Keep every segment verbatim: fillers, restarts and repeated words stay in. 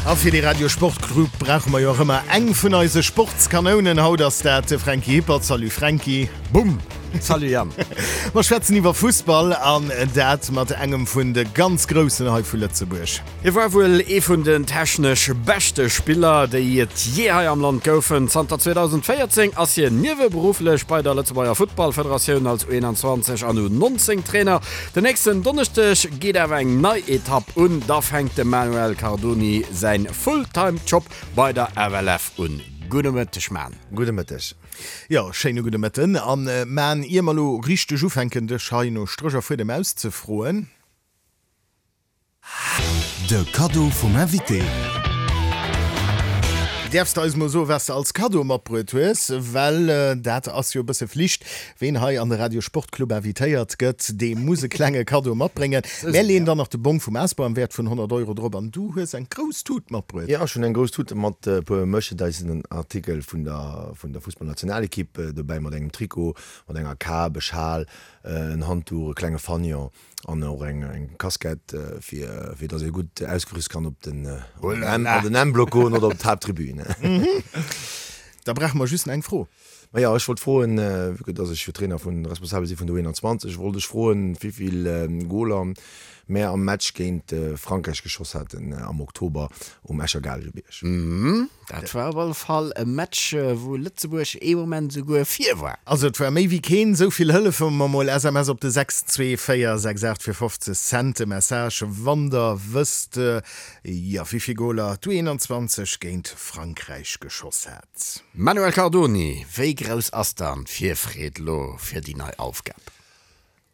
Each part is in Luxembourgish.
A fir de Radio Sportclub brauche mer jo och ëmmer eng vun eise Sportskanounen. Haut ass dat de Franky Hippert. Salut Franky. Bumm! Salut Yann. Mer schwätzen iwwer Fussball an dat mat engem vun de ganz Groussen hei vu Lëtzebuerg. Hie war wuel ee vun den technesch beschte Spiller, déi et jee hei am Land goufen. Zanter zweedausendvéierzéng ass hien nieweberufflech bei der Lëtzebuerger Futtballfederatioun als U einundzwanzeg an U nonzéng Trainer. Den nächsten Donneschdeg geet awer eng nei Etapp un, da fänkt de Manuel Cardoni säin Fulltime-Job bei der F L F un. Gudde Mëtteg, Man. Gudde Mëtteg. Jo, schéine gudde Mëtten. An Man, ier mer elo richteg ufänken, dech hei no Stréch a Fuedem auszefroen, De Kaddo vum Invité. Däerfs de eis mol soen, wat s de als Kaddo matbruet hues? Well dat ass jo e bësse Flicht, ween hei an de Radio Sport Club invitéiert gëtt, dee muss e klenge Kaddo matbréngen. Mär leeën dann nach de Bong vum Ausbau am Wäert vun honnert Euro drop an du hues eng grouss Tut matbruet. Jo, ech hunn eng grouss Tut mat e puer Merchandisen-Artikel vun der vun der Fussballnationalekipp dobäi, mat engem Trikot, mat enger Kap, e Schal, en Handduch, e klenge Fanion an och eng eng Casquette, fir fir dass ee gutt ausgerüst kann op den an den M-Block goen oder op d'Haapttribün. Da brauche mer just nach eng Fro. Maja, ech wollt froen, vue que dass ech jo Trainer vun, responsabel si vun der U einundzwanzeg, wollt ech froen, wéivill Goler mär am Match géint Frankräich geschoss haten am Oktober um Escher Gaalgebierg. Dat war op alle Fall e Match, wou Lëtzebuerg ee Moment esouguer vir war. Also et war méi wéi keen. Esou vill hëllefe mer mol. S M S op de sechs zwee véier sechs aacht fir fofzeg Cent de Message, wann der wësst, jo, wéi vill Goler d'U einundzwanzeg géint Frankräich geschoss hat. Manuel Cardoni, wéi grouss ass dann d'Virfreed lo fir déi nei Aufgab?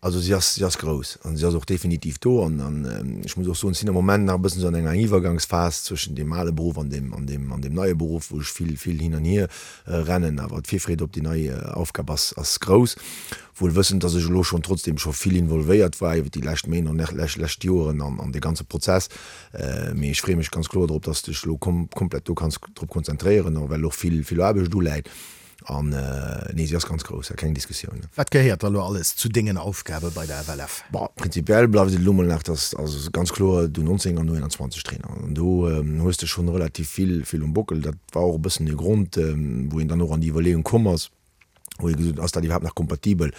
Also si ass, si ass grouss an si ass och definitiv do an an ech muss och soen, ech sinn am Moment nach e bëssen esou an enger Iwwergangsphas zwëschen deem ale Beruff an deem an deem an deem neie Beruff, wou ech vill vill hin an hier rennen. Awer d'Virfreed op déi nei Aufgab ass ass grouss, wuel wëssend, dass ech elo schonn trotzdem scho vill involvéiert war iwwer déi lescht Méint an lescht lescht Joeren an an dee ganze Prozess. Mee ech freeë mech ganz kloer drop, dass de dech elo kom komplett do kanns drop konzentréieren, och well och vill vill Aarbecht uläit. An nee, si ass ganz grouss, keng Diskussioun. Wat gehéiert da lo alles zu dengen Aufgabe bei der F L F? Bon, prinzipiell bleift et elo mol nach, dass also ganz kloer d'U nonzéng an U einundzwanzeg Trainer. An do hues de schonn relativ vill, vill um Bockel. Dat war och e bëssen de Grond, wou een dann och an déi Iwwerleeung komm ass, wou ee gesot huet, ass dat iwwerhaapt nach kompatibel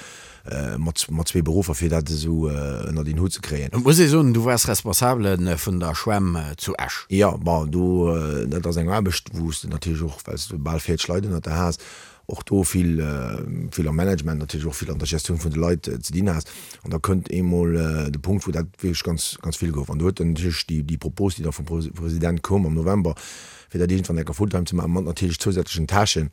mat, mat zwee Beruffer, fir dat esou ënnert een Hutt ze kréien. Et muss ee soen, du waars Responsabele vun der Schwämm zu Esch. Jo, bon, do, dat ass eng Aarbecht, wou s de natierlech och, well s de bal véierzeg Leit ënnert der has, och do vill, vill am Management, natierlech och vill an der Gestioun vun de Leit ze dinn has. An da kënnt eemol de Punkt, wou dat wierklech ganz, ganz vill gouf. An do huet dann natierlech déi, déi Propos, déi da vum President koum am November, fir dat iergendwann eng Kéier fulltime ze maachen, mat natierlech zousätzlechen Tâchen,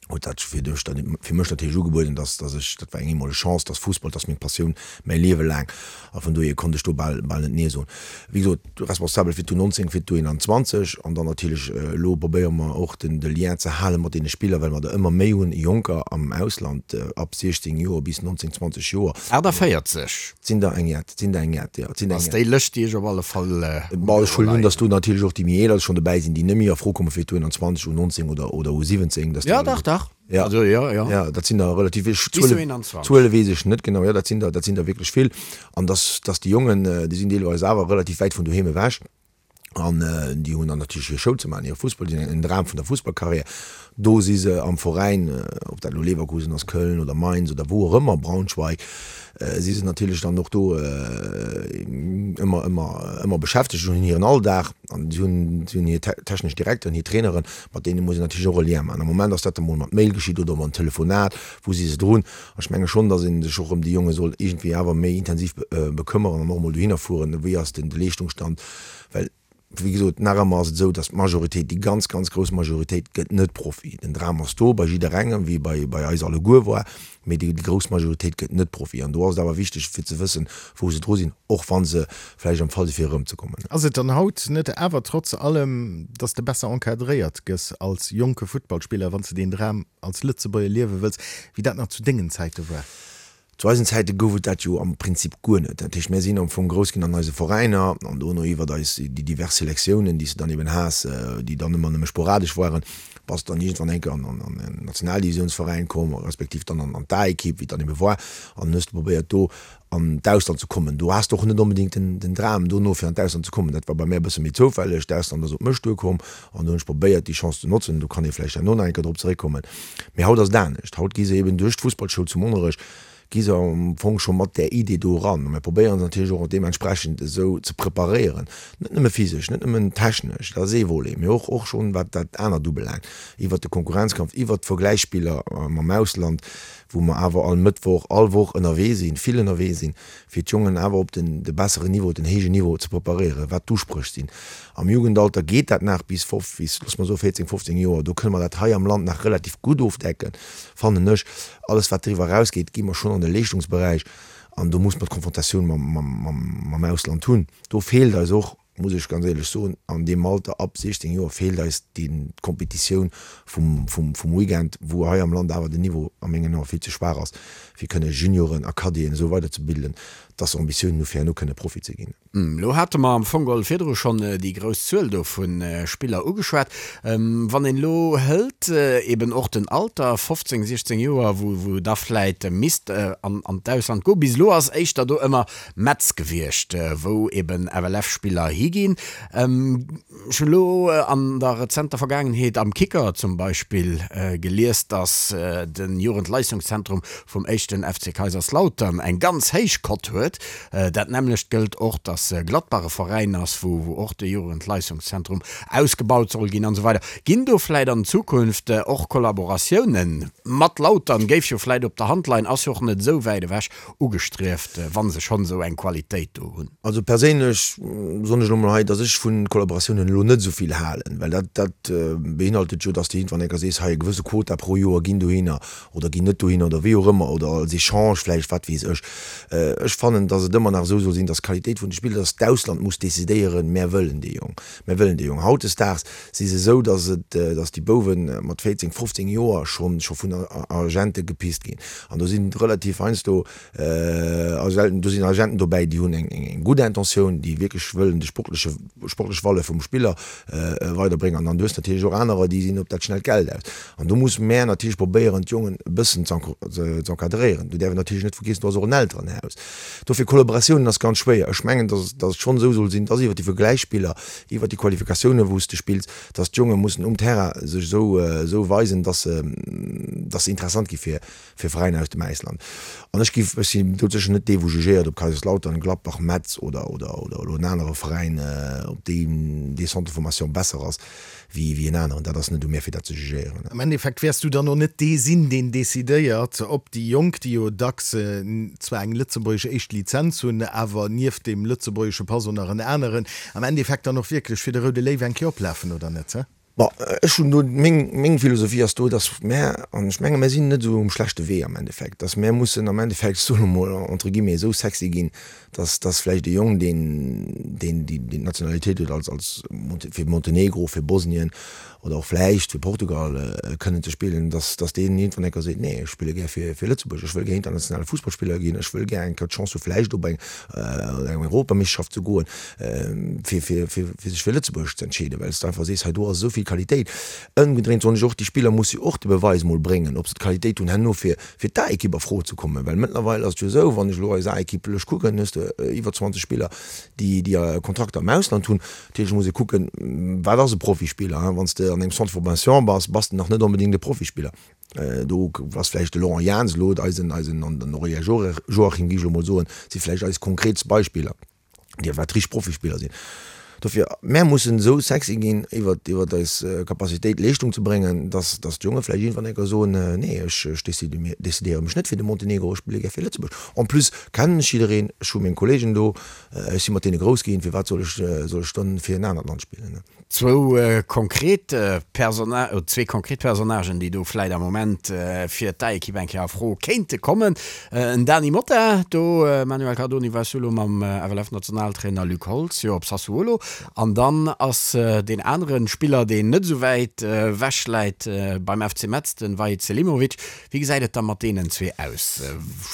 huet dat fir dech dann, fir mech natierlech ugebueden, dass, dass ech, dat war eng eemoleg Chance, dass Fussball, dat ass meng Passioun, mäi Liewe laang, a vun dohier konnt ech do bal, bal net Nee soen. Wéi gesot, responsabel fir d'U nonzéng, fir d'U einundzwanzeg an dann natierlech elo probéiere mer och den, de Lien ze hale mat deene Spiller, well mer der ëmmer méi hunn, Jonker am Ausland, ab siechzéng Joer bis nonzéng, zwanzeg Joer. achtanvéierzeg. Et sinn der eng jett, et sinn der eng jett, jo, et sinn der eng Ass déi jett. Lëscht, déi ech op alle Fall um Bon, ech Büro huelen un, leien dass do hunn. natierlech och déi méi eeler schonn dobäi sinn, déi net méi a Fro komme fir d'U einundzwanzeg, U nonzéng oder, oder U siwwenzéng, dass déi Ja, alleguer. dach, dach. Ja. Also, jo, jo. Ja, dat sinn der relativ vill. Bis Zuele, U einundzwanzeg. Zuele weess ech net genau. Jo, dat sinn der, dat sinn der wierklech vill. An dass, dass déi Jongen, déi sinn deelweis awer relativ wäit vun doheem ewech. An déi hunn dann natierlech hir Schoul ze maachen, hire Fussball, déi sinn en Dram vun der Fussballkarriär. Do si se am Veräin, ob dat elo Leverkusen ass, Köln oder Mainz oder wou och ëmmer, Braunschweig, si se natierlech dann och do ëmmer, ëmmer, ëmmer beschäftegt an hunn hiren Alldag. An si hunn, si hunn hir technesch Direkteren, hir Traineren, mat deene muss een natierlech och e Lien maachen. Am Moment ass dat emol mat Mail geschitt oder mat Telefonat, wou si se drun. An ech menge schonn, datt ee sech och ëm déi Jonge soll iergendwéi awer méi intensiv bekëmmeren an och emol dohinner fueren, wéi ass denn de Leeschtungsstand, well wéi gesot, nach ëmmer ass et esou, datt d'Majoritéit, déi ganz, ganz grouss Majoritéit gëtt net Profi. Den Dram ass do bei jidderengem, wéi bei, bei eis alleguer war, mee déi, déi grouss Majoritéit gëtt net Profi. An do ass et awer wichteg, fir ze wëssen, wou se dru sinn, och wa se vläicht am Fall si fir erëmzekommen. Ass et dann haut net awer trotz allem, datt s de besser encadréiert gëss als jonke Futtballspiller, wann s de deen Dram als Lëtzebuerger liewe wëlls, wéi dat nach zu dengen Zäite war? Zu eisen Zäite gouf et dat jo am Prinzip guer net. Dat heescht, mir sinn am Fong grouss ginn an eise Veräiner an dono iwwert eis déi divers Selektiounen, déi s de dann eben has, déi dann ëmmer nëmme sporadesch waren, bass de dann iergendwann eng Kéier an an en Nationaldivisiounsveräin komm, respektiv dann an an d'A-Ekipp, wéi et dann ebe war, an hues de probéiert do an d'Ausland ze kommen. Do has de och net onbedéngt den, den Dram dono fir an d'Ausland ze kommen. Dat war bei mär e bësse méi zoufälleg. D'Ausland ass op mech duerkomm an do hunn ech probéiert déi Chance ze notzen. Do kann ee vläicht herno nach eng Kéier drop zeréckkommen. Mee haut ass et anescht. Haut gi se eben duerch d'Fussballschoul zu Monnerech gi se am Fong scho mat där Idee do eran. A mir probéieren se natierlech och deementsprechend esou ze preparéieren, net nëmme physesch, net nëmmen technesch, dat ass ee Volet, mee och och schonn wat dat anert ubelaangt, iwwert de Konkurrenzkampf, iwwert d'Vergläichsspiller mam Ausland, wou mer awer all Mëttwoch, all Woch ënnerwee sinn, vill ënnerwee sinn, fir d'Jongen awer op den de besseren Niveau, den héijen Niveau ze preparéieren, wat d'Uspréch sinn. Am Jugendalter geet dat nach bis fof, bis, loosse mer soe véierzéng, fofzéng Joer, do kënne mer dat hei am Land nach relativ gutt ofdecken, fannen ech. Alles wat driwwer erausgeet, gi mer schonn an de Leeschtungsberäich an do muss mer d'Konfrontatioun mam, mam, mam, mam Ausland hunn. Do feelt eis och, muss ech ganz éierlech soen, an deem Alter ab siechzéng Joer feelt eis déi Kompetitioun vum, vum, vum Weekend, wou hei am Land awer den Niveau a mengen Ae vill ze schwaach ass, fir kënne Junioren a Cadeten esou weiderzebilden, dass se Ambitiounen hu fir herno kënne Profi ze ginn. Elo hate mer am Fong geholl virdru schonn déi grouss Zuel do vu Spiller ugeschwat. Wann een elo hëlt eben och den Alter, fofzéng, siechzéng Joer, wou wou da vläit misst an an d'Ausland goen, bis elo ass éischter do ëmmer Metz gewiescht, wou eben F L F-Spiller higinn. Ech hunn elo an der rezenter Vergaangenheet am Kicker zum Beispill gelies, dass de Jugendleistungszentrum vum éischten F C Kaiserslautern eng ganz héich Cote huet. Dat nämmlecht gëllt och, dass Gladbach e Veräin ass, wou och de Jugendleistungszentrum ausgebaut soll ginn an esou weider. Ginn do vläit an Zukunft och Kollaboratiounen mat Lautern, géif jo vläit op der Hand leien, ass jo och net esou wäit ewech, ugestrieft, wa se schonn esou eng Qualitéit do hunn? Also perséinlech soen ech elo mol hei, dass ech vu Kollaboratiounen elo net esou vill halen, well dat, dat beinhaltet jo, dass de iergendwann eng Kéier sees, hei e gewësse Quota pro Joer ginn dohinner oder ginn net dohinner oder wéi och ëmmer oder als Echange vläicht, wat weess ech. Ech fannen, dass et ëmmer nach esou soll sinn, dass d'Qualitéit vun de Spiller, dass d'Ausland muss decidéieren, mär wëllen dee Jong, mär wëllen dee Jong. Hautdesdaags si se esou, dass et, dass déi Bouwe mat véierzéng, fofzéng Joer schonn, scho vun Agente gepist ginn. An do sinn relativ heiansdo, do sinn Agenten dobäi, déi hunn eng, eng gutt Intentioun, déi wierklech wëllen de sportleche, sportlech Valeur vum Spiller weiderbréngen. An dann du hues natierlech och anerer, déi sinn op dat schnellt Geld aus. An do musse mär natierlech probéieren, d'Jongen e bëssen ze encadréieren. Do däerf een natierlech net vergiessen, do ass och en Elterenhaus. Dofir, Kollaboratiounen ass ganz schwéier. Ech mengen, dass dass et schonn esou soll sinn, dass iwwer déi Vergläichsspiller, iwwer déi Qualifikatiounen, wou s de spills, dass d'Jonge mussen um Terrain sech esou esou weisen, dass se dass se interessant gi fir fir Veräiner aus dem Ausland. An ech giff, ech sinn do sécher net dee wou jugéiert, ob Kaiserslautern, Gladbach, Metz oder oder oder elo en anere Veräin, ob deen dee Centre de formation besser ass wéi wéi en aneren. Dat ass net u mir fir dat ze jugéieren. Am Endeffekt wäers du dann och net dee sinn, deen decidéiert, ob déi Jonk, déi jo dacks zwar eng lëtzebuergesch éischt Lizenz hunn, awer nieft deem lëtzebuergesche Pass och nach en aneren, am Endeffekt dann och wierklech fir de Roude Léiw eng Kéier oplafen oder net, he? Bon, ech hunn do, meng, meng Philosophie ass do, datt mär, an ech menge mär sinn net esou um schlechte Wee am Endeffekt, datt mär mussen am Endeffekt, ech soen emol entre guillemets, esou sexy ginn, datt, datt vläicht e Jong, deen, deen déi, deen d'Nationalitéit huet als, als fir Montenegro, fir Bosnien oder och vläicht fir Portugal kënnen ze spillen, datt, datt deen iergendwann eng Kéier seet, nee, ech spille gär fir, fir Lëtzebuerg, ech wëll gär internationale Fussballspiller ginn, ech wëll gär eng Kéier d'Chance hu vläicht op eng, eng Europameeschterschaft ze goen, fir, fir, fir, fir sech fir Lëtzebuerg ze entscheeden, well s de einfach sees, hei do ass esou vill Qualitéit. Ëmgedréint soen ech och, déi Spiller musse jo och de Beweis mol bréngen, ob se d'Qualitéit hunn herno fir, fir d'A-Ekipp a Fro ze kommen, well mëttlerweil ass et jo esou, wann ech elo eis A-Ekipp lech kucken, hues de iwwer zwanzeg Spiller, déi, déi Kontrakter am Ausland hunn. Natierlech muss ee kucken, wat ass e Profispiller? Wann s de an engem Centre de formation bass, bass de nach net onbedéngt e Profispiller. Do ass vläicht de Laurent Jans elo eisen, eisen an den Aurélien Joachim, géif ech elo mol soen, si vläicht eis konkretst Beispiller, déi wat richteg Profispiller sinn. Dofir, mär mussen esou sexy ginn iwwer, iwwer eis Capacitéit, Leeschtung ze bréngen, dass, dass d'Jonge vläicht iergendwann eng Kéier soen, Nee, ech, ech decidéiere mech net fir de Montenegro, ech spille gär fir Lëtzebuerg. En plus kennen ech jiddereen, ech hu meng Kollegen do, Ech si mat deene grouss ginn, firwat soll ech, soll ech dann fir en anert Land spillen? Zwou konkret Persona, zwee konkret Personnagen, déi do vläit am Moment fir d'A-Ekipp eng Kéier a Fro kéinte kommen, En Dany Motta, do, Manuel Cardoni, waars du elo mam F L F-Nationaltrainer Luc Holtz jo op Sassuolo. An dann ass deen anere Spiller, deen net esou wäit ewech läit, beim F C Metz, de Vahid Selimovic. Wéi gesäit et da mat deenen zwee aus?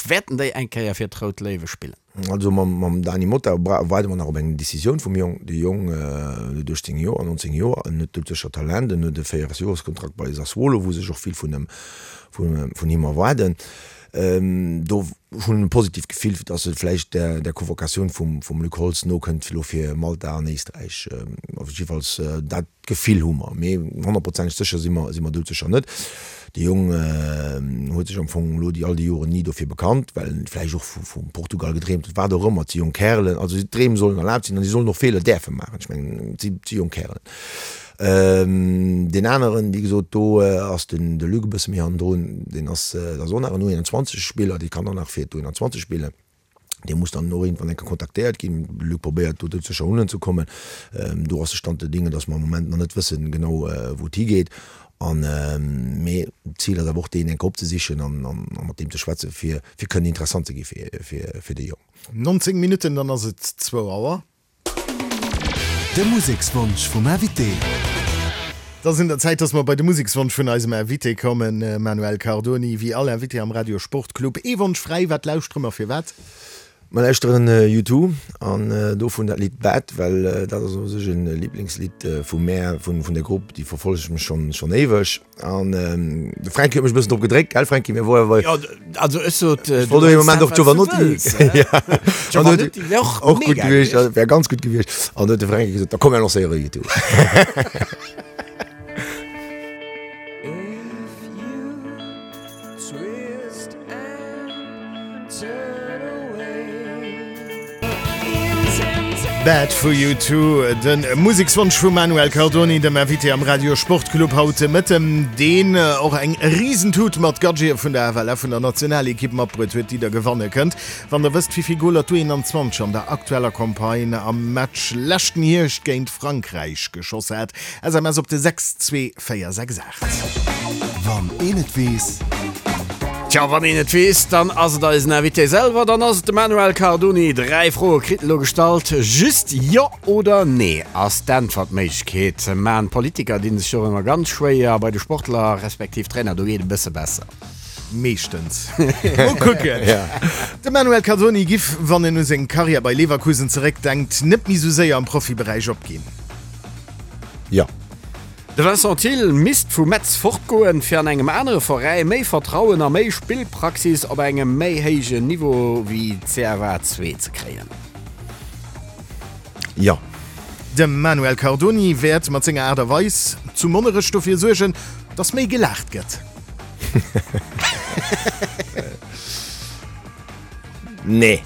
Wäerten déi eng Kéier fir d'Rout Léiwe spillen? Also mam Dany Motta waarde mer nach op eng Decisioun vum Jong. De Jong huet uechtzéng Joer, nonzéng Joer, en huet doudsécher Talent, en huet e Véieresjoreskontrakt bei Sassuolo, wou sech och vill vun him, vun him erwaarden. Do hunn e positiivt Gefill, dass e vläicht der der Convocatioun vum vum Luc Holtz nokënnt elo fir Malta an Éisträich. Op jiddefalls dat Gefill hu mer, mee honnertprozenteg sécher si mer si mer doudsécher net. De Jong huet sech am Fong elo déi all déi Joren ni dofir bekannt, well en vläicht och vu vum Portugal gedreemt huet, wat och ëmmer. Et si jonk Kärelen, also d'Dreem sollen erlaabt sinn an si sollen och Feeler däerfe maachen. Ech mengen, et si si jonk Kärelen. Deen aneren, wéi gesot, do ass den de Luc e bësse méi hannendrun, deen ass, dat ass och nach en U einundzwanzeg Spiller, dee kann och nach fir d'U einundzwanzeg spillen. Dee muss dann och iergendwann eng Kéier kontaktéiert ginn. De Luc probéiert do sécher unenzekommen. Do ass de Stand der Dinge, datt mer am Moment nach net wëssen genau, wou et higeet. An, mee d'Zil ass awer och, deen eng Kéier opzesichen an mat deem ze schwätzen, fir fir kënnen interessant ze gi fir fir dee Jong. Nonzéng Minutten, dann ass et zwou Auer. De Musekswonsch vum Invité. Et ass un der Zäit, dass mer bei de Musekswonsch vun eisem Invité kommen. Manuel Cardoni, wéi all Invité am Radio Sport Club, ee Wonsch fräi, Wat lauschtere mer, firwat? Mer lauschteren U Two an dovun dat Lidd Bad, well dat ass u sech e Liblingslidd vu mär, vun der Grupp, déi verfollegt mech schonn éiweg. An de Fränki huet mech e bëssen drop gedréckt, gell Fränki? Mir woar Jo, also ech sot, ech wollt dee Moment och Jovanotti. Jovanotti wär och och gutt mega gewiescht, gewiescht. wär ganz gutt gewiescht. An du huet de Fränki gesot, da komm mir lancéiere U Two. Bad for you too, de Musekswonsch vum Manuel Cardoni, dem Invité am Radio Sportclub haut de Mëtten, deen och eng Risentut mat Gadgete vun der F L F, vun der Nationalekipp matbruet huet, déi der gewanne kënnt, wann der wësst, wéi vill Goler d'U einundzwanzeg an der aktueller Campagne am Match leschten Hierscht géint Frankräich geschoss hat. S M S op de sechs zwee véier sechs aacht. Wann een et weess. Tja, wann een et weess, dann ass et eisen Invité selwer, dann ass et de Manuel Cardoni. Dräi Froe kritt en elo gestallt. Just Jo oder Nee ass d'Äntwertméiglechkeet. Mä d'Politiker dinn sech do ëmmer ganz schwéier. Bei de Sportler respektiv Trainer, do geet et e bësse besser. Meeschtens. Mol kucken. De Manuel Cardoni giff, wann en u seng Karriär bei Leverkusen zeréckdenkt, net méi sou séier am Profiberäich opginn. Jo. De Vincent Thill misst vu Metz fortgoen, fir an engem anere Veräi méi Vertrauen a méi Spillpraxis op engem méi héijen Niveau wéi C F A zwee ze kréien. Jo. De Manuel Cardoni wäert mat senger Aart a Weis zu Monnerech dofir suergen, dass méi gelaacht gëtt. Nee.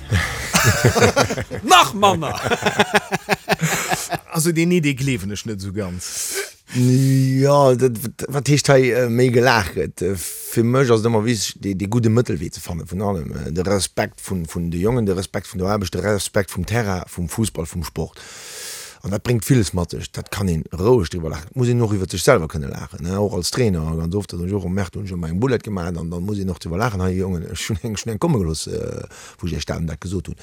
Nach manner! Also deen Nee, dee gleewen ech net esou ganz. Jo, dat, wat heescht hei méi gelaacht gëtt? Fir mech ass et ëmmer wichteg, dee, dee gudde Mëttelwee ze fanne vun allem. De Respekt vun, vun de Jongen, de Respekt vun der Aarbecht, de Respekt vum Terrain, vum Fussball, vum Sport. An dat bréngt villes mat sech. Dat kann een roueg driwwer laachen. Et muss een och iwwer sech selwer kënne laachen, ne, och als Trainer. Ganz oft, dat hunn ech och gemerkt, hunn ech ëmmer eng Boulette gemaach an dann muss een och driwwer laachen, Hei Jongen, ech hunn eng, ech hunn eng komme gelooss, wou ech iech dat an dat gesot hunn.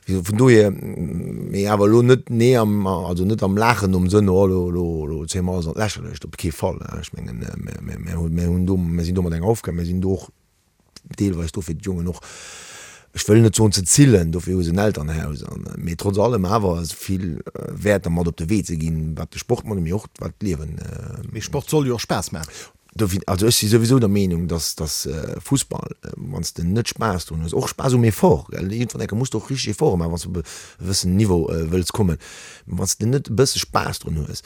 Vun dohier, mee awer elo net, nee, am, also net am Laachen nom Sënn, oh elo, elo, elo zéie mer alles an d'Lächerlecht, op kee Fall. Ech mengen, mir, mir hunn, mir hunn do, mir sinn do mat enger Aufgab, mir sinn do och deelweis do fir d'Jongen och, ech wëll net soen ze zillen, dofir hu se en Elternhaus, an, mee trotz allem awer vill Wäerter mat op de Wee ze ginn, wat de Sport mat, mee och wat d'Liewen. Mee Sport soll jo och Spaass maachen. Dofir, also ech si souwisou der Meenung, dass, dass Fussball, wann s de net Spaass drun hues, och Spaass um Effort, gell, iergendwann eng Kéier muss de och richteg Efforte maachen, wann s de op e gewëssen Niveau wëlls kommen, wann s de net e bësse Spaass drun hues,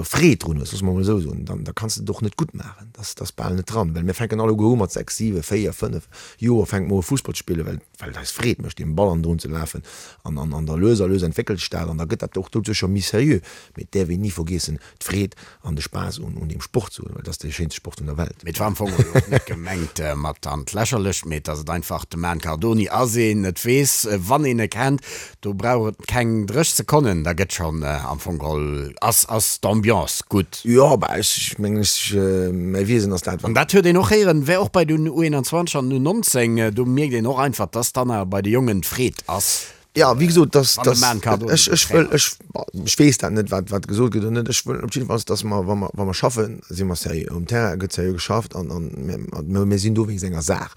Freed drun hues, loosse mer emol esou soen, dann da kanns de et och net gutt maachen. Dat ass bal net dran, well mir fänken alleguer u mat sechs, siwe, véier, fënnef Joer fänke mer u Fussball ze spillen, well well et eis Freed mécht, deem Ball hannendrun ze lafen an an an da lues a lues entwéckelt sech dat an da gëtt dat och doduercher méi seriö. Mee et däerf een ni vergiessen, d'Freed an de Spaass un un deem Sport ze hunn, well et ass dee schéinste Sport vun der Welt. Mee et war am Fong elo och net gemengt mat an d'Lächerlecht, mee dass et einfach de Man Cardoni ass, een et weess, wann een e kennt, do brauch et keng dréch Sekonnen, da gëtt schonn am Fong geholl, ass ass d'Ambiance gutt. Jo, bah, ech mengen, ech, mäi Wiesen ass dat, An wat. dat huet een och héieren, wär och bei den U einundzwanzeg an den U nonzéng, do mierkt een och einfach, dass dann awer bei de Jongen d'Freed ass. Jo, wéi gesot, dass, Wann de dass, Man Cardoni ech, den ech wëll, Trainer ech, ech weess dat net, wat, wat gesot gëtt oder net. Ech wëll op jiddefalls, dass mer, wa mer, wa mer schaffen, si mer seriö. Um Terrain gëtt seriö geschafft an, an mir, mir sinn do wéinst enger Saach.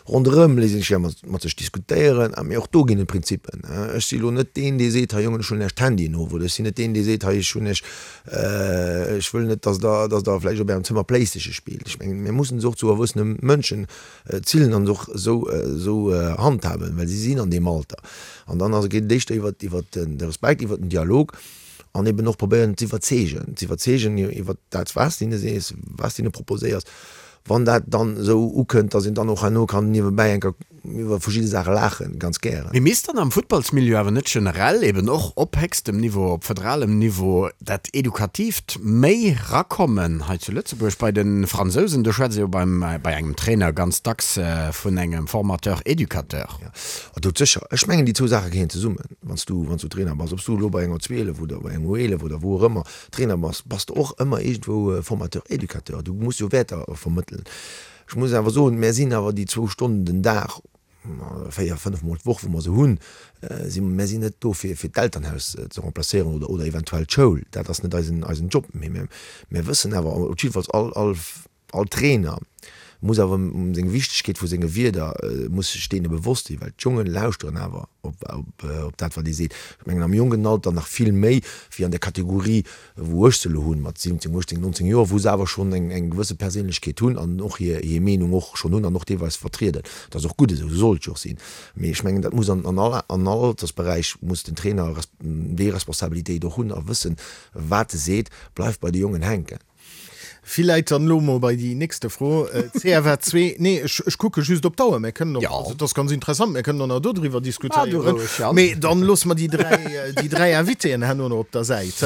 Ronderëm léisst een sech gär mat sech diskutéieren, mee och do ginn et Prinzippen. Ech si lo net deen, dee seet, hei Jongen, ech huelen Iech d'Handyen of, oder ech sinn net deen, dee seet, hei ech hunn Iech, ech wëll net, dass Der, dass Der vläicht op Ärem Zëmmer Playstation spillt. Ech mengen, mir mussen se och zu erwuessene Mënschen zillen an se och esou, esou handhaben, well si sinn an deem Alter. An dann ass, geet et éischter iwwert, iwwert de Respekt, iwwert den Dialog an eben och probéieren z'iwwerzeegen, z'iwwerzeegen iwwert dat, wat s de hinne sees, wat s de hinne proposéiers. Wann dat dann esou ukënnt, dass een dann och herno kann niewebäi eng Kéier iwwer verschidde Saache laachen, ganz gären. Mee misst dann am Futtballsmilieu awer net generell, eben och op héchstem Niveau, op federalem Niveau, dat Edukatiivt méi rakommen hei zu Lëtzebuerg? Bei de Fransousen, do schwätzt ee jo beim, bei engem Trainer ganz dacks vun engem Formateur-Educateur. Jo, doudsécher. Ech mengen, déi zwou Saache gehéieren zesummen. Wann s du, wann s du Trainer bass, ob s du elo bei enger U zwielef oder bei enger U eelef oder wou och ëmmer Trainer bass, bass de och ëmmer iergendwou Formateur, Educateur. Du muss jo Wäerter vermëttelen. Ech muss awer soen, mär sinn awer déi zwou Stonnen den Dag, véier, fënnef Mol d'Woch, wou mer se hunn, si mär sinn net do fir fir d'Elternhaus ze remplacéieren oder oder eventuell d'Schoul. Dat ass net eisen eisen Job. Mee mär mär wëssen awer, op jiddefalls all all all Trainer muss awer ëm seng Wichtegkeet vu senge Wierder muss sech deene bewosst sinn, well d'Jongen lauschteren awer op op op dat wat ee seet. Ech mengen am jonken Alter nach vill méi wéi an der Kategorie wou ech se elo hunn, mat siwwenzéng, uechtzéng, nonzéng Joer, wou se awer schonn eng eng gewësse Perséinlechkeet hunn an och hir hir Meenung och schonn hunn an och deelweis vertrieden. Dat ass och gutt esou, esou soll et jo och sinn. Mee ech mengen dat muss an an all an all Altersberäich muss den Trainer déi Responsabilitéit och hunn a wëssen, wat e seet, bleift bei de Jongen hänken. Villäit dann elo mol bei déi nächste Fro. C F A zwee, nee, ech, ech kucke just op d'Auer, mir kënnen och, Ja. also et ass ganz interessant, mir kënnen och nach dodriwwer Ah, du diskutéieren, roueg, Jan. mee dann loosse mer déi dräi, déi dräi Invitéen herno nach op der Säit.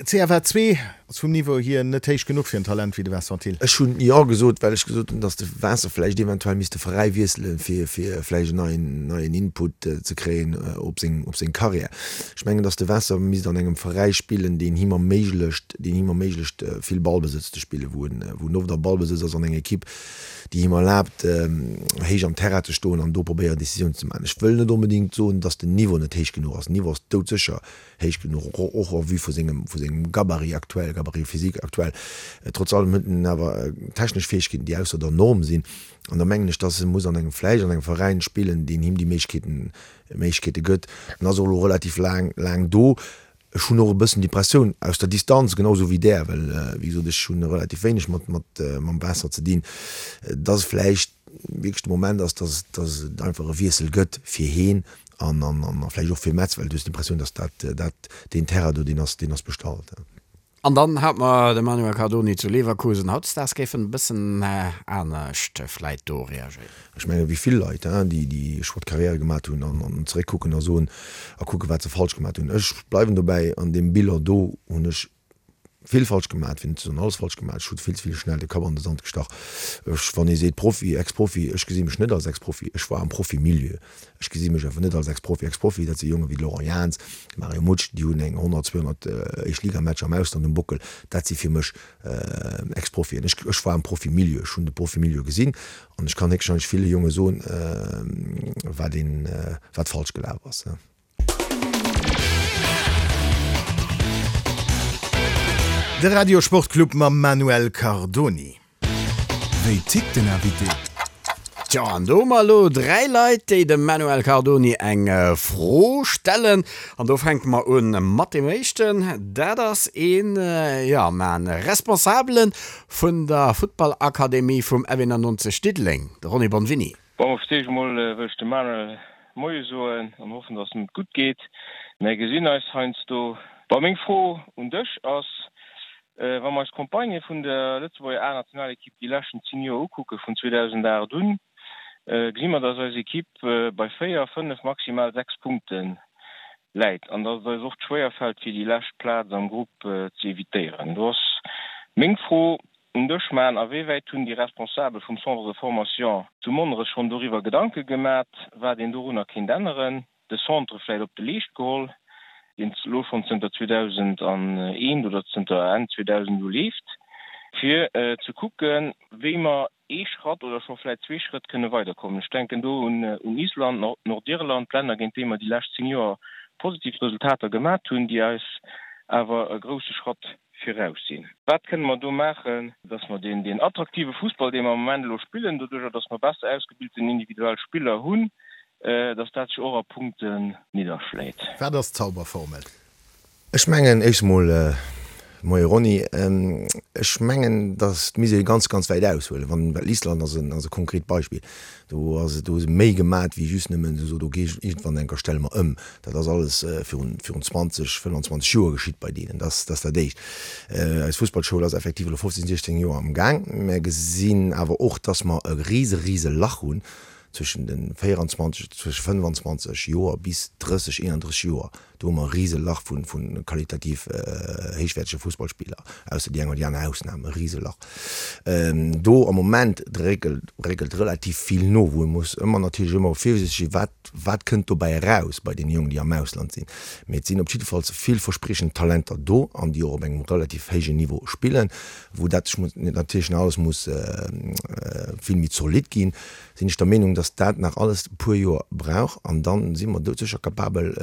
C F A zwee ass vum Niveau hier net héich genuch fir en Talent wéi de Vincent Thill. Ech hunn Jo gesot, well ech gesot hunn, datt de Vincent vläicht eventuell misst de Veräi wiesselen, fir, fir vläicht en neien, neien Input ze kréien op seng, op seng Karriär. Ech mengen, datt de Vincent misst an engem Veräi spillen, deen him erméiglecht, deen him erméiglecht, vill Ballbesëtz ze spillen, wou en, wou en oft am Ballbesëtz ass an enger Ekipp, déi him erlaabt, héich am Terrain ze stoen an do probéieren, Decisiounen ze maachen. Ech wëll net onbedéngt soen, datt den Niveau net héich genuch ass. Den Niveau ass doudsécher héich genuch, och, och en vue vu sengem, vu sengem Gabarit aktuell, Gabarit physique aktuell. Trotz allem huet en awer technesch Fäegkeeten, déi ausser der Norm sinn. An da mengen ech, datt e muss an engem, vläicht an engem Veräin spillen, deen him déi Méiglechkeeten, Méiglechkeete gëtt. En ass och elo relativ laang, laang do. Ech hunn och e bëssen d'Impressioun, aus der Distanz, genau esou wéi där, well, wéi gesot, ech hunn relativ wéineg mat, mat, mam Waasser ze dinn, datt et vläicht wierklech de Moment ass, datt, datt et einfach e Wiessel gëtt fir heen an, an, an vläicht och fir Metz, well du hues d'Impressioun, datt dat, dat, deen Terrain do, deen ass, deen ass bestallt. An dann hat mer de Manuel Cardoni zu Leverkusen. Hautdesdaags géif en e bëssen anescht vläit do reagéieren. Ech mengen, wéi vill Leit, déi déi Choix de carrière gemat hunn an an zeréckkucken a soen a kucken, wat se falsch gemat hunn. Ech bleiwen dobäi, an deem Bilan do hunn ech vill falsch gemat, fir net ze soen alles falsch gemat. Ech hu vill ze vill schnell de Kapp an de Sand gestach. Ech, wann ee seet Profi, Ex-Profi, ech gesi mech net als Ex-Profi. Ech war am Profi-Milieu. Ech gesi mech einfach net als Ex-Profi. Ex-Profi, dat si Jonge wéi de Laurent Jans, de Mario Mutsch, déi hunn eng honnert, zweehonnert Éischtligamatcher am Ausland um Bockel. Dat si fir mech Ex-Profien. Ech, ech war am Profi-Milieu, ech hunn de Profi-Milieu gesinn an ech kann héchstwahrscheinlech ville Jonge soen, wat een, wat falsch gelaf ass. De Radio Sportclub mam Manuel Cardoni. Wéi tickt den Invité? Tjo, an do hu mer elo dräi Leit, déi dem Manuel Cardoni eng Fro stellen. An do fänke mer un mat deem éischten. Dat ass een, jo, man Responsabele vun der Futtballakademie vum F einundneunzeg Diddeleng, de Ronny Bonvini. Bon, fir d'éischt emol wëll ech dem Manuel Moie soen an hoffen, dass em et gutt geet. Mär gesinn eis heiansdo. Bon, meng Fro un dech ass, Wa mer eis Campagnë vun der Lëtzebuerger A-Nationalekipp déi leschten zéng Joer ukucken, vun zweedausendaacht un, gesi mer, dass eis Ekipp bei véier, fënnef, maximal sechs Punkte läit an dass et eis oft schwéier fält, fir déi lescht Plaz am Grupp ze evitéieren. Do ass meng Fro un dech, Man, A wéi wäit hunn déi Responsabel vum Centre de formation zu Monnerech schonn doriwwer Gedanke gemat, wat een dorunner kéint änneren? De Centre vläit op de Leescht geholl, deen elo schonn zënter zweedausendeent oder zënter Enn zweedausend u leeft, fir ze kucken, wéi mer ee Schratt oder scho vläit zwee Schrëtt kënne weiderkommen. Ech denken do un Island, Nordirland, Länner, géint déi mer déi lescht zéng Joer positiv Resultater gemat hunn, déi eis awer e grousse Schratt viraus sinn. Wat kënne mer do maachen, dass mer deen, deen attraktive Fussball, dee mer am Moment elo spillen, doduerjer dass mer besser ausgebilten individuell Spiller hunn, dass dat sech och a Punkten nidderschléit? Wat ass d'Zauberformel? Ech mengen, éischt emol, Moie Ronny, ech mengen, datt misst ee ganz, ganz wäit aushuelen. Wann, well Island ass en, ass e konkret Beispill. Do ass et, do hu se méi gemat wéi just nëmmen esou, do geet iergendwann eng Kéier stelle mer ëm. Dat ass alles virun, virun zwanzeg, fënnwanzwanzeg Joer geschitt bei deenen. Dat ass, dat ass dat Éischt. Eis Fussballschoul ass effektiv elo fofzéng, siechzéng Joer am Gaang. Mär gesinn awer och, datt mer e rise, rise Lach hunn zwëschen de véieranzwanzeg, zwësche fënnefanzwanzeg Joer bis drësseg, eenandrësseg Joer. Do hu mer e rise Lach vu qualitativ héichwäertege Fussballspiller, ausser déi eng oder déi aner Ausnam, e rise Lach. Do am Moment réckelt, réckelt relativ vill no, wou ee muss ëmmer natierlech ëmmer virsiichteg sinn, wat, wat kënnt dobäi eraus bei deene Jongen, déi am Ausland sinn. Mee et sinn op jiddefalls villverspriechend Talenter do an déi och op engem relativ héijen Niveau spillen, wou dat natierlech nach alles muss vill méi zolidd ginn. Sinn ech der Meenung, dass dat nach alles e puer Joer brauch an da si mer doudsécher capabel,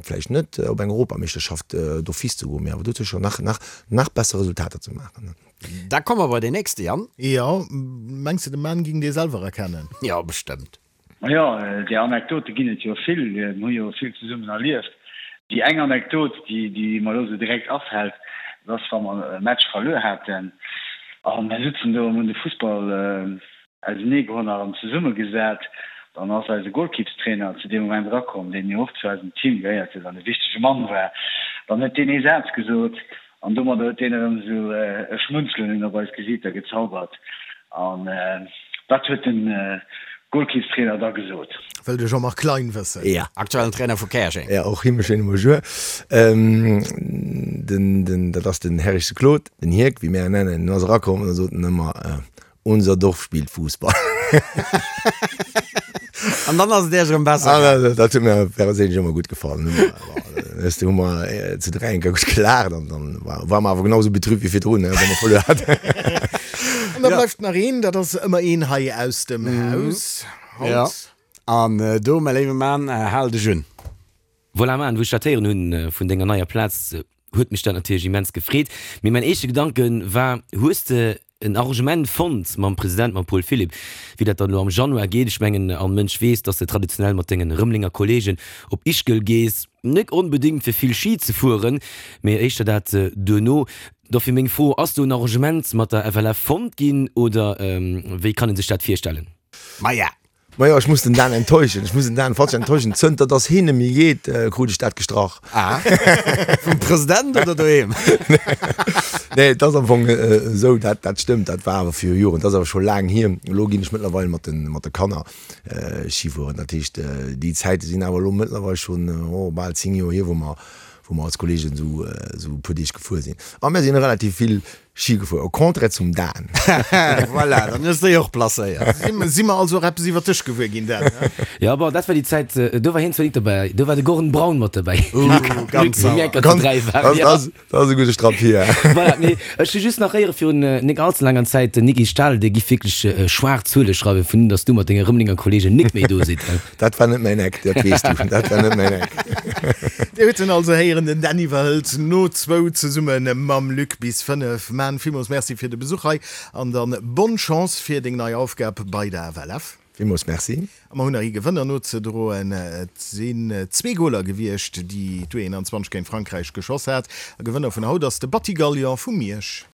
vläicht net op eng Europameeschterschaft d'office ze goen, mee awer doudsécher nach, nach, nach besser Resultater ze maachen. Da komme mer bei deen nächste, Yann. Jo, mengs de, de Mann ging dee selwer erkennen? Jo, bestëmmt. Majo, där Anekdote ginn et jo vill, mir hu jo vill zesummen erlieft. Déi eng Anekdot, déi, déi mer elo esou direkt afält, dat ass, wa mer e Match verluer haten a mir sutzen do, mir hunn de Fussball auseneegeholl an erëm zesummegesat. Dann ass eise Golkippstrainer zu deem Moment erakomm, deen jo och zu eisem Team gehéiert huet an e wichtege Mann war. Dann huet deen ee Saz gesot an domadder huet deen erëm esou e Schmunzelen op eis Gesiiter gezaubert. An wat huet de Golkippstrainer da gesot? Wëll de Jean-Marc Klein wëssen. Ja. Aktuellen Trainer vu Käerjeng. Ja, och him e schéine Bonjour. Den, den, dat ass den Herrichse Claude, den Hierk, wéi mär en nennen. En ass erakomm an da sot en ëmmer, Unser Dorf spielt Fußball. An dann ass et Iech erëm besser gaangen. Ah, dat huet mir perséinlech ëmmer gutt gefall. Weess de, hu mer zu dräi eng Kéier gutt gelaacht an dann war mer awer genau esou betrübt wéi virdrun, wa mer verluer haten. An da bleift nach een, dat ass ëmmer een hei aus dem Haus haut. Jo, an do, mäi léiwe Mann, hal dech un. Voilà Mann, wou ech dat héieren hunn vun denger neier Plaz, huet mech dat natierlech immens gefreet. Mee mäin éischte Gedanke war, hues de en Arrangement fonnt mam President, mam Paul Philipp, wéi dat dann elo am Januar geet. Ech mengen, all Mënsch weess, dass de traditionell mat dengen Rëmelenger Kollegen op Ischgl gees, net onbedéngt fir vill Schi ze fueren, mee éischter dat duerno. Dofir meng Fro, Ass do en Arrangement mat der F L F fonnt ginn oder wéi kann ee sech dat virstellen? Maja, Majo, ech muss den Dan enttäuschen, ech muss den Dan falsch enttäuschen. Zënter dass heen net méi geet, krut ech dat gestrach. Ah, vum President oder doheem? Nee, et ass am Fong esou, dat, dat stëmmt, dat war awer viru Joren, dat ass awer scho laang hier. Elo ginn ech mëttlerweil mat de, mat de Kanner Schi fueren. Dat heescht, déi Zäite sinn awer elo mëttlerweil schonn, oh, bal zéng Joer hier, wou mer, wou mer als Kolleegen esou, esou e puer Deeg gefuer sinn. A mir sinn relativ vill Schi gefuer, au contraire zum Dan. Voilà, dann hues de déi och placéiert. Si mer also och eppes iwwer dech gewuer ginn, Dan? Jo, bon, dat war déi Zäit, do war hien zwar nik dobäi, do war de Gordon Braun mat dobäi. Ganz sauer. Ganz, dat ass e gudde Strapp hier. Voilà, mee ech hu just nach héiere virun nik allze laanger Zäit, den Niki Stahl, dee giff wierklech schwaarz Zuele schreiwen, vun dass du mat denge Rëmelenger Kollegen nik méi do sidd. Dat war net mäin Eck, dat weess du, dat war net mäin Eck. Dir hutt en also héieren, den Dan iwwerhëlt no zwou zesumme mam Luc bis fënnef. Man, villmools Merci fir de Besuch hei an dann bonne Chance fir deng nei Aufgab bei der F L F. Villmools Merci. A mer hunn nach ee Gewënner nozedroen. Et sinn zwee Goler gewiescht, déi d'U einundzwanzeg géint Frankräich geschoss hat. A Gewënner vun haut ass de Batty Gallion vu Miersch.